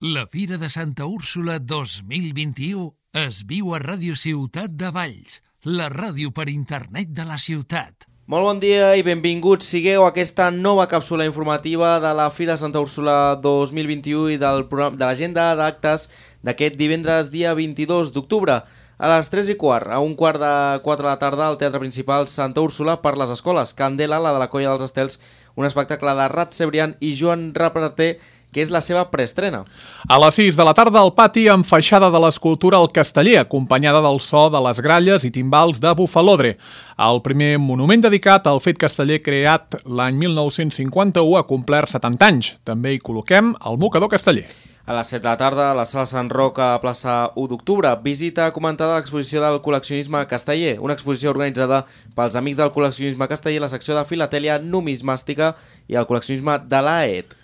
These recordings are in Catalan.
La Fira de Santa Úrsula 2021 es viu a Ràdio Ciutat de Valls, la ràdio per internet de la ciutat. Molt bon dia i benvinguts sigueu a aquesta nova càpsula informativa de la Fira de Santa Úrsula 2021 i de l'agenda d'actes d'aquest divendres dia 22 d'octubre. A les 3:15, a 3:45 de la tarda, al Teatre Principal Santa Úrsula per les escoles. Candela, la de la Colla dels Estels, un espectacle de Rat Cebrián i Joan Raprater, que és la seva preestrena. A les 6 de la tarda al pati amb feixada de l'escultura al Casteller, acompanyada del so de les gralles i timbals de Bufalodre. El primer monument dedicat al fet casteller creat l'any 1951 ha complert 70 anys. També hi col·loquem el mocador casteller. A les 7 de la tarda, a la sala Sant Roc a plaça 1 d'octubre, visita comentada a l'exposició del col·leccionisme casteller, una exposició organitzada pels amics del col·leccionisme casteller, la secció de filatèlia numismàstica i el col·leccionisme de l'AET.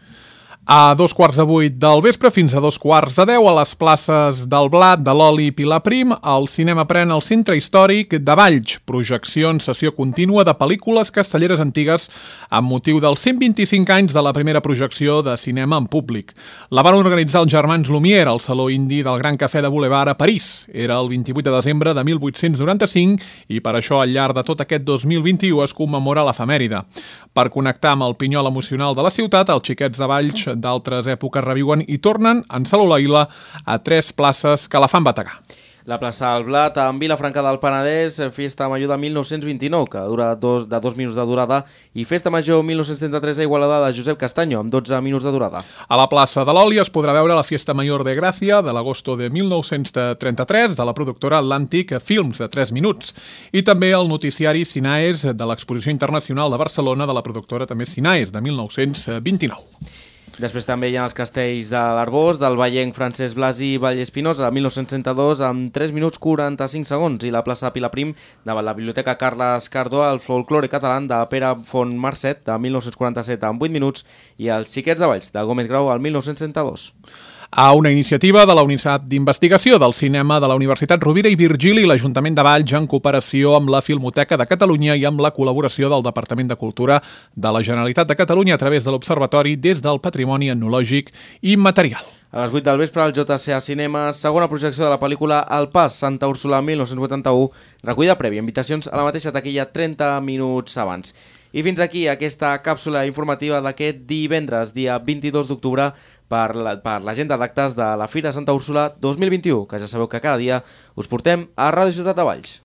A 7:15 del vespre fins a 9:45 a les places del Blat, de l'Oli i Pilar Prim, el cinema pren el Centre Històric de Valls, projecció en sessió contínua de pel·lícules castelleres antigues amb motiu dels 125 anys de la primera projecció de cinema en públic. La van organitzar els germans Lumière al Saló Indi del Gran Cafè de Boulevard a París. Era el 28 de desembre de 1895 i per això al llarg de tot aquest 2021 es commemora l'efemèride. Per connectar amb el pinyol emocional de la ciutat, els xiquets de Valls d'altres èpoques reviuen i tornen en Salolaila a 3 places que la fan bategar. La plaça del Blat, en Vilafranca del Penedès, Festa Major de 1929, que dura 2 minuts de durada, i Festa Major 1933 a Igualada de Josep Castanyo, amb 12 minuts de durada. A la plaça de l'Oli es podrà veure la Fiesta Mayor de Gràcia de l'agosto de 1933 de la productora Atlantic Films de 3 minuts i també el noticiari Sinaes de l'Exposició Internacional de Barcelona de la productora també Sinaes de 1929. Després també hi ha els castells de l'Arbós, del vallenc Francesc Blasi i Vallespinosa, de 1962, amb 3 minuts 45 segons, i la plaça Pilar Prim, de la Biblioteca Carles Cardó, el folklore català de Pere Font Marcet, de 1947, amb 8 minuts, i els Xiquets de Valls, de Gómez Grau, al 1962. A una iniciativa de la Unitat d'Investigació del Cinema de la Universitat Rovira i Virgili i l'Ajuntament de Valls en cooperació amb la Filmoteca de Catalunya i amb la col·laboració del Departament de Cultura de la Generalitat de Catalunya a través de l'Observatori des del Patrimoni Etnològic i Material. A les 8 del vespre, al JCA Cinema, segona projecció de la pel·lícula El Pas, Santa Úrsula 1981, recollida prèvia, invitacions a la mateixa taquilla 30 minuts abans. I fins aquí aquesta càpsula informativa d'aquest divendres, dia 22 d'octubre, per l'agenda d'actes de la Fira Santa Úrsula 2021, que ja sabeu que cada dia us portem a Ràdio Ciutat de Valls.